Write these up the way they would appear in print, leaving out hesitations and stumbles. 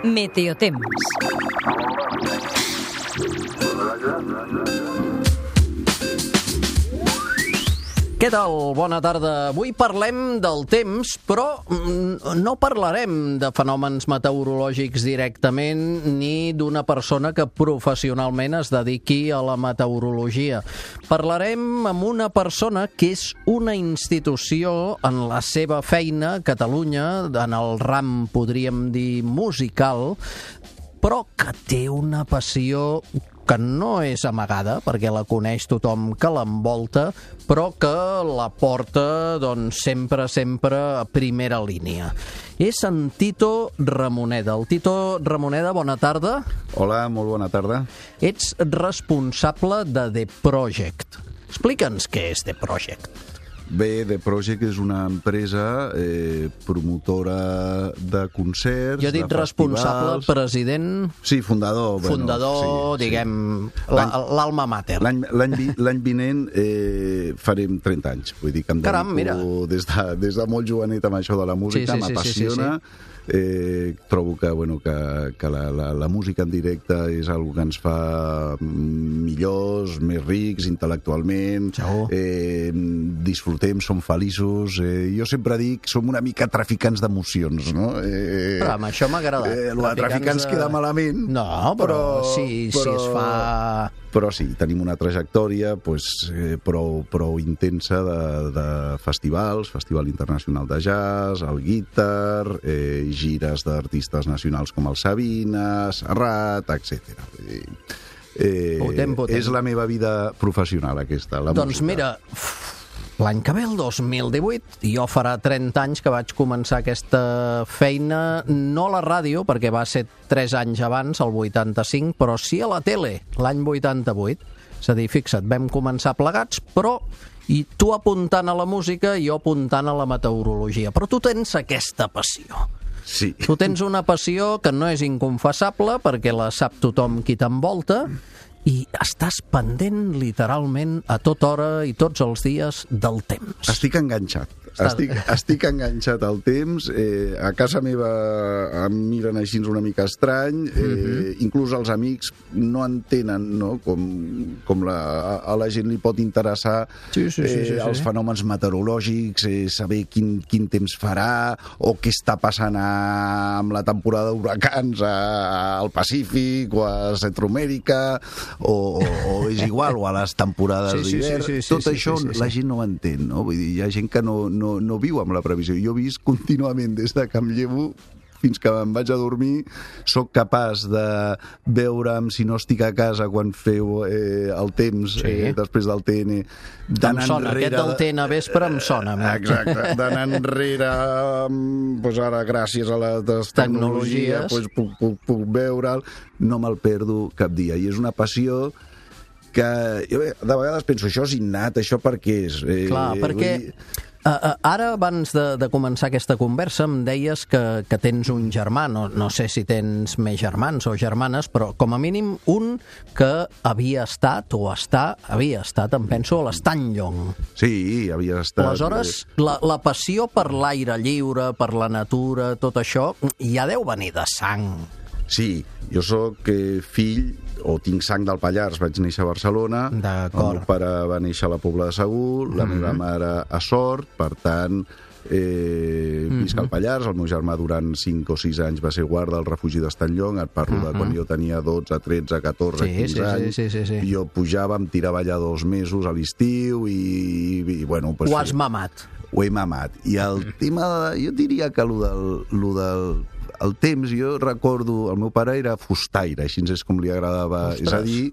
Meteotemps. Què tal? Bona tarda. Avui parlem del temps, però no parlarem de fenòmens meteorològics directament ni d'una persona que professionalment es dediqui a la meteorologia. Parlarem amb una persona que és una institució en la seva feina a Catalunya, en el ram, podríem dir, musical, però que té una passió que no és amagada, perquè la coneix tothom que l'envolta, però que la porta doncs, sempre a primera línia. És en Tito Ramoneda. El Tito Ramoneda, bona tarda. Hola, molt bona tarda. Ets responsable de The Project. Explica'ns què és The Project. Bé, The Project és una empresa promotora de concerts, jo he dit responsable, president... Sí, fundador. Fundador, sí, diguem, sí. L'alma mater. L'any vinent farem 30 anys. Vull dir que em dedico des de molt jovenet amb això de la música, m'apassiona. Trobo que la música en directe és una que ens fa millors, més rics intel·lectualment, disfrutem, som feliços. Jo sempre dic, som una mica traficants d'emocions, no? Però amb això m'agrada. Traficants queda malament. No, però si es fa... Però sí, tenim una trajectòria prou intensa de festivals, Festival Internacional de Jazz, el Guitar, gires d'artistes nacionals com el Sabina, Serrat, etc. És la meva vida professional, aquesta, la música. Doncs mira, l'any que ve, el 2018, jo farà 30 anys que vaig començar aquesta feina, no a la ràdio, perquè va ser 3 anys abans, el 85, però sí a la tele, l'any 88. És a dir, fixa't, vam començar plegats, però i tu apuntant a la música i jo apuntant a la meteorologia. Però tu tens aquesta passió. Sí. Tu tens una passió que no és inconfessable, perquè la sap tothom qui t'envolta, i estàs pendent literalment a tota hora i tots els dies del temps. Estic enganxat. Estic enganxat al temps. A casa meva em miren així una mica estrany. Inclús els amics no entenen, no? Com a la gent li pot interessar els fenòmens meteorològics, saber quin temps farà o què està passant amb la temporada d'huracans al Pacífic o a Centroamèrica o és igual, o a les temporades d'hivern. Tot això la gent no ho entén, no? Vull dir, hi ha gent que no viu amb la previsió. Jo he vist contínuament des de que em llevo fins que em vaig a dormir, soc capaç de veure'm, si no estic a casa quan feu el temps, després del TN, em sona, aquest del TN vespre em sona. Exacte, d'anar enrere, doncs ara gràcies a les tecnologies puc veure'l, no me'l perdo cap dia, i és una passió que jo de vegades penso, això és innat, això per què és? Clar, perquè ara, abans de començar aquesta conversa, em deies que tens un germà, no sé si tens més germans o germanes, però com a mínim un que havia estat, em penso, a l'Estany Llong. Sí, havia estat. Aleshores, la passió per l'aire lliure, per la natura, tot això, ja deu venir de sang. Sí, jo sóc fill, o tinc sang del Pallars, vaig néixer a Barcelona, el meu pare va néixer a la Pobla de Segur, la meva mare a Sort, per tant, visc al Pallars, el meu germà durant 5 o 6 anys va ser guarda al refugi d'Estany Llong, et parlo de quan jo tenia 12, 13, 14, 15 anys, jo pujava, em tirava allà 2 mesos a l'estiu i bueno... Ho has mamat. Ho he mamat. I el tema, jo diria que el temps, jo recordo, el meu pare era fustaire, així és com li agradava, és a dir,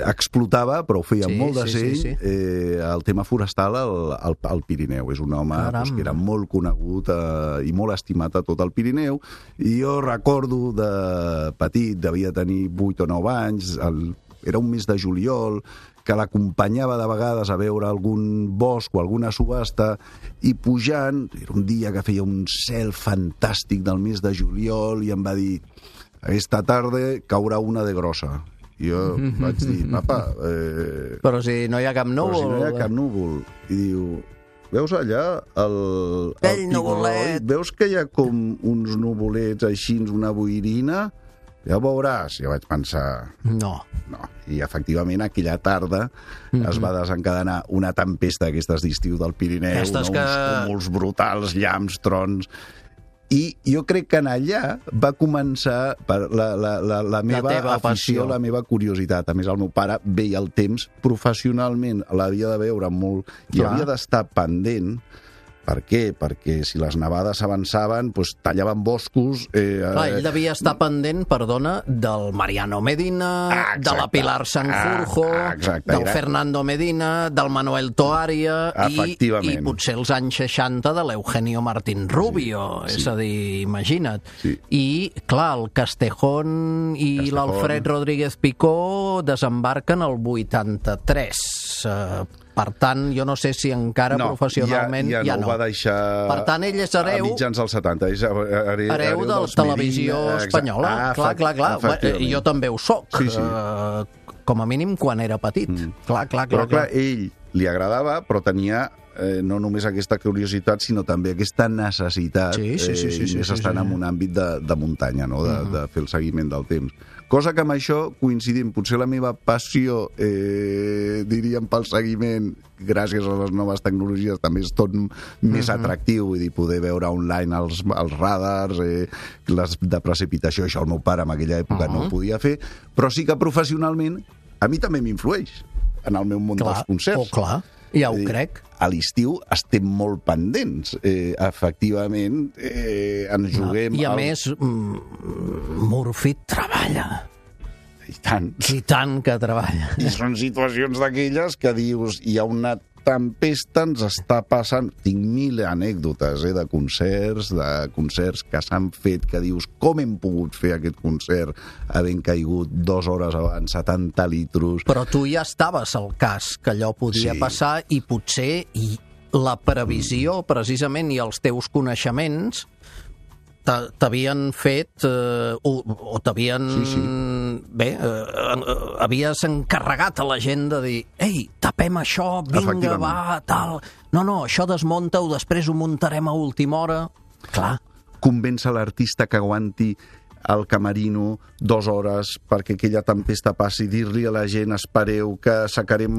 explotava, però ho feia molt de seny, el tema forestal al Pirineu. És un home que era molt conegut i molt estimat a tot el Pirineu, i jo recordo de petit, devia tenir 8 o 9 anys, era un mes de juliol, que l'acompanyava de vegades a veure algun bosc o alguna subhasta, i pujant, era un dia que feia un cel fantàstic del mes de juliol, i em va dir, aquesta tarda caurà una de grossa. I jo vaig dir, papa... Però si no hi ha cap núvol... Però si no hi ha cap núvol. I diu, veus allà el Aquell tiburoid, nuvolet. veus que hi ha com uns nuvolets així, una boirina? Ja ho veuràs. Ja vaig pensar... No. I efectivament aquella tarda es va desencadenar una tempesta d'aquestes d'estiu del Pirineu, Aquestes uns cúmuls brutals, llamps, trons... I jo crec que en allà va començar la meva teva afició, passió. la meva curiositat. A més, el meu pare veia el temps professionalment, l'havia de veure molt i Clar. havia d'estar pendent. Per què? Perquè si les nevades avançaven, doncs tallaven boscos... Clar, ell devia estar pendent, perdona, del Mariano Medina, de la Pilar Sanjurjo, del Fernando Medina, del Manuel Toaria i potser els anys 60 de l'Eugenio Martín Rubio. És a dir, imagina't. I, clar, el Castejón i l'Alfred Rodríguez Picó desembarquen el 83. Per tant, jo no sé si encara professionalment ja no. Va deixar... Per tant, ell és hereu... A mitjans dels 70. És hereu de la televisió espanyola. Clar. Jo també ho soc. Com a mínim quan era petit. Clar. Però clar, ell li agradava, però tenia no només aquesta curiositat, sinó també aquesta necessitat, i més estant en un àmbit de muntanya, no? De fer el seguiment del temps. Cosa que amb això coincidim, potser la meva passió, diríem, pel seguiment, gràcies a les noves tecnologies, també és tot més atractiu, vull dir, poder veure online els radars, les de precipitació, això el meu pare en aquella època no ho podia fer, però sí que professionalment a mi també m'influeix en el meu món dels concerts. Clar, ja ho crec. A l'estiu estem molt pendents. Efectivament, ens juguem... I a més, Murphy treballa. I tant. I tant que treballa. I són situacions d'aquelles que dius, hi ha una tempesta, ens està passant... Tinc 1000 anècdotes de concerts que s'han fet, que dius, com hem pogut fer aquest concert havent caigut 2 hores abans, 70 litros... Però tu ja estaves al cas que allò podia passar i potser la previsió, precisament, i els teus coneixements t'havien fet o t'havien... Bé, havies encarregat a la gent de dir ei, tapem això, vinga, va, tal... No, això desmunta-ho, després ho muntarem a última hora. Clar. Convèncer l'artista que aguanti al camerino 2 hores perquè aquella tempesta passi, dir-li a la gent espereu que sacarem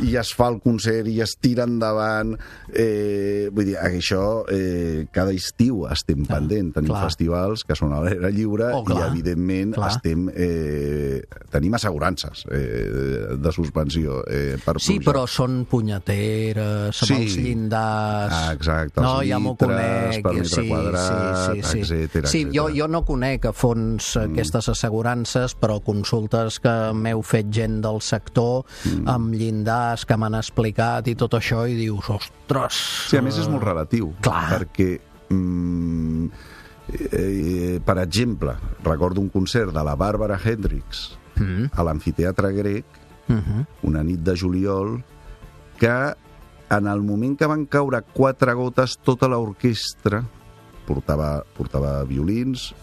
i es fa el concert i es tira endavant. Vull dir, això cada estiu estem pendent. Tenim festivals que són a l'aire lliure i evidentment tenim assegurances de suspensió per sí, però són punyeteres amb els llindars. Exacte, els litres per metre quadrat, etcètera. Sí, jo no conec a fons aquestes assegurances, però consultes que m'heu fet gent del sector amb llindars que m'han explicat i tot això, i dius, ostres... Sí, a més és molt relatiu, perquè per exemple, recordo un concert de la Bàrbara Hendricks a l'Amfiteatre Grec, una nit de juliol, que en el moment que van caure 4 gotes, tota l'orquestra portava violins,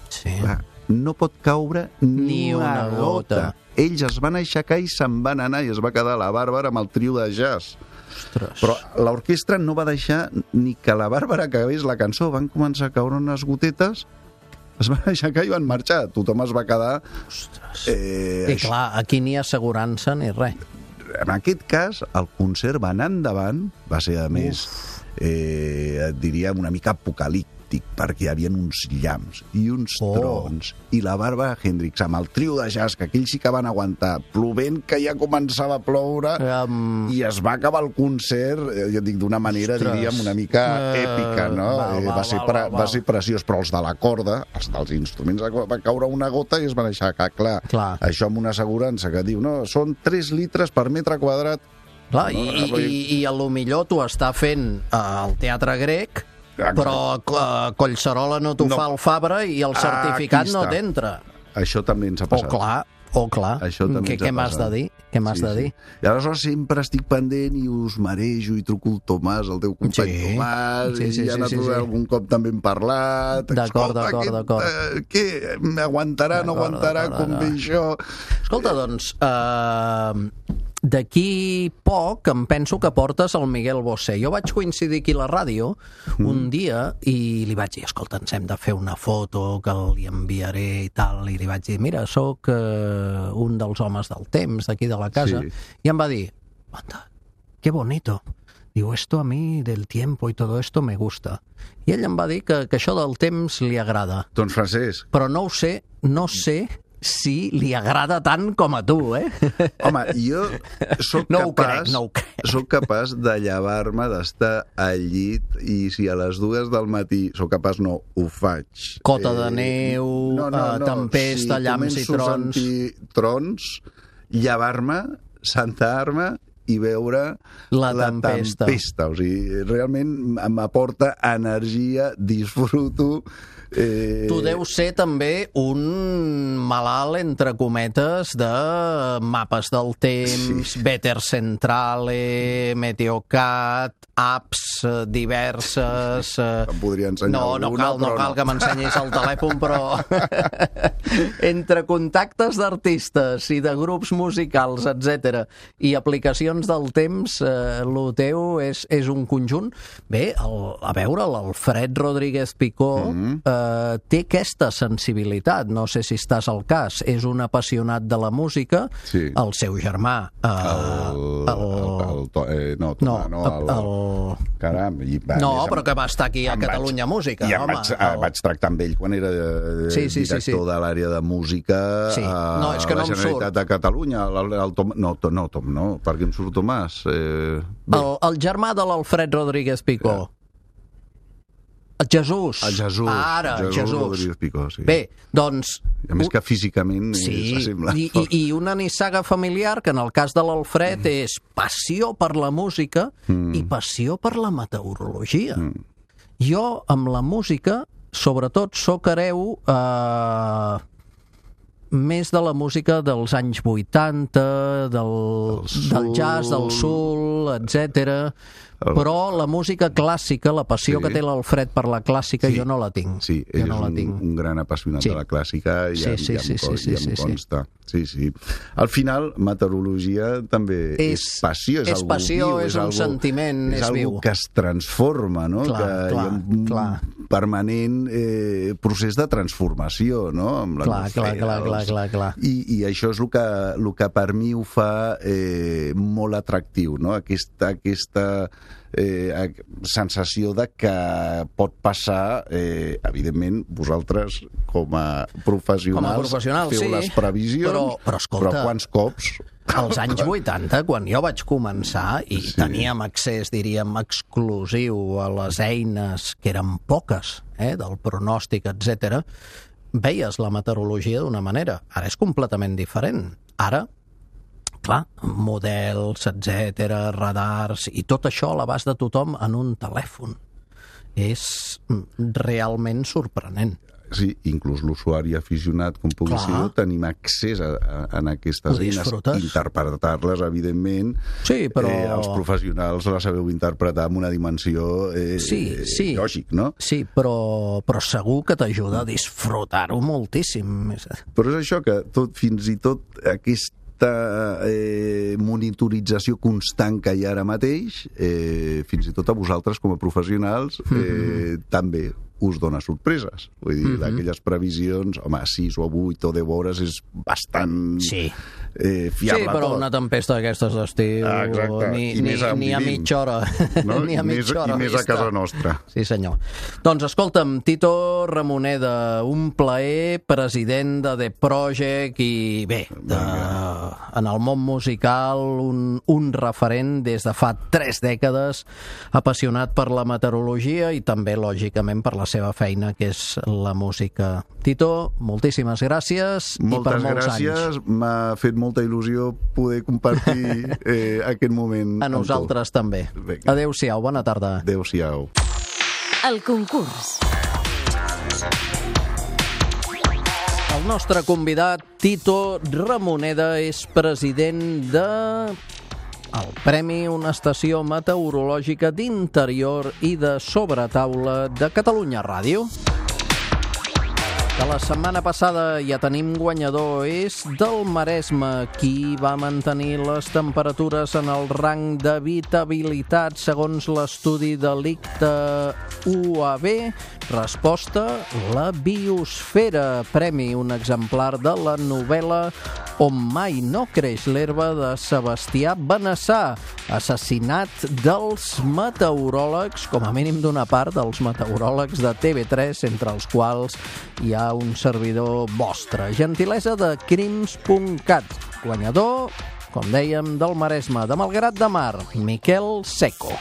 no pot caure ni una gota. Ells es van aixecar i se'n van anar i es va quedar la Bàrbara amb el trio de jazz. Però l'orquestra no va deixar ni que la Bàrbara acabés la cançó. Van començar a caure unes gotetes, es van aixecar i van marxar. Tothom es va quedar... I clar, aquí ni assegurança ni res. En aquest cas, el concert va anar endavant, va ser, a més, diríem, una mica apocalíptic, perquè hi havia uns llamps i uns trons, i la Bàrbara Hendricks amb el trio de jazz, que aquells sí que van aguantar, plovent que ja començava a ploure, i es va acabar el concert, jo dic, d'una manera, diríem, una mica èpica, no? Va ser preciós, però els de la corda, els dels instruments, va caure una gota i es van deixar clar. Això amb una assegurança que diu, no, són 3 litres per metre quadrat. Clar, i a lo millor tu està fent al Teatre Grec, però Collserola no t'ho fa el Fabra i el certificat no t'entra. Això també ens ha passat. Clar. Què m'has de dir? I aleshores sempre estic pendent i us marejo i truco el Tomàs, el teu company Tomàs, i ja algun cop també hem parlat. D'acord. Què? Aguantarà, no aguantarà, com ve això? Escolta, doncs, d'aquí poc em penso que portes el Miguel Bosé. Jo vaig coincidir aquí a la ràdio un dia i li vaig dir, escolta, ens hem de fer una foto que li enviaré i tal, i li vaig dir, mira, sóc un dels homes del temps d'aquí de la casa, i em va dir, anda, qué bonito. Diu, esto a mí del tiempo y todo esto me gusta. I ell em va dir que això del temps li agrada. Doncs Francesc. Però no sé si li agrada tant com a tu, eh? Home, jo sóc sóc capaç de llevar-me, d'estar al llit, i si a les 2 del matí sóc capaç, no ho faig. Cota de neu, tempesta, llamps i trons. Si començo a sentir trons, llevar-me, sentar-me i veure la tempesta. O sigui, realment m'aporta energia, disfruto. Tu deus ser també un malalt, entre cometes, de mapes del temps, Veter Centrale, Meteocat, apps diverses... Em podria ensenyar alguna, no cal que m'ensenyis el telèfon, però entre contactes d'artistes i de grups musicals, etc i aplicacions del temps, el teu és un conjunt. Bé, a veure, l'Alfred Rodríguez Picó té aquesta sensibilitat, no sé si estàs al cas, és un apassionat de la música, el seu germà... Caram, però que va estar aquí a Catalunya Música. I vaig tractar amb ell quan era director de l'àrea de música a la Generalitat de Catalunya. Tom, no, perquè em surt Tomàs. El germà de l'Alfred Rodríguez Picó. Jesús. Ara, Jesús. Rodríguez Picó, sí. Bé, doncs... A més que físicament s'assembla. I una nissaga familiar que en el cas de l'Alfred és passió per la música i passió per la meteorologia. Jo, amb la música, sobretot, soc hereu més de la música dels anys 80, del jazz, del soul, etc. Però la música clàssica, la passió que té l'Alfred per la clàssica, jo no la tinc. Sí, ell és un gran apassionat de la clàssica i em consta. Sí. Al final, meteorologia també és passió, és algú viu. És un sentiment, és viu. És algú que es transforma, no? Que hi ha un permanent procés de transformació, no? Amb l'atmosfera. Clar. I això és el que per mi ho fa molt atractiu, no? Aquesta sensació de que pot passar, evidentment, vosaltres com a professionals feu les previsions, però quants cops... Als anys 80, quan jo vaig començar i teníem accés, diríem, exclusiu a les eines, que eren poques, del pronòstic, etc., veies la meteorologia d'una manera. Ara és completament diferent. Ara, clar, models, etc., radars, i tot això a l'abast de tothom en un telèfon. És realment sorprenent. Sí, inclús l'usuari aficionat, com pugui ser, tenim accés a aquestes eines, interpretar-les, evidentment. Sí, però... Els professionals la sabeu interpretar amb una dimensió lògic, no? Sí, però segur que t'ajuda a disfrutar-ho moltíssim. Però és això, que fins i tot aquesta monitorització constant que hi ha ara mateix, fins i tot a vosaltres com a professionals, també us dona sorpreses. Vull dir, d'aquelles previsions, home, 6 o 8 o 10 hores és bastant fiable. Sí, però una tempesta d'aquestes d'estiu ni a mitja hora. Ni a mitja hora. I més a casa nostra. Sí, senyor. Doncs escolta'm, Tito Ramoneda, un plaer, president de The Project i bé, en el món musical un referent des de fa 3 dècades, apassionat per la meteorologia i també, lògicament, per la seva feina, que és la música. Tito, moltíssimes gràcies i per molts anys. Moltes gràcies, m'ha fet molta il·lusió poder compartir aquest moment amb tu. A nosaltres també. Adéu-siau, bona tarda. Adéu-siau. El concurs. El nostre convidat, Tito Ramoneda, és president de... el Premi Una Estació Meteorològica d'Interior i de Sobretaula de Catalunya Ràdio. De la setmana passada ja tenim guanyador, és del Maresme, qui va mantenir les temperatures en el rang d'habitabilitat segons l'estudi de l'ICTA UAB. Resposta, la biosfera. Premi, un exemplar de la novel·la On mai no creix l'herba de Sebastià Benassà. Assassinat dels meteoròlegs, com a mínim d'una part dels meteoròlegs de TV3, entre els quals hi ha un servidor vostre. Gentilesa de crims.cat. Guanyador, com dèiem, del Maresme, de Malgrat de Mar, Miquel Seco.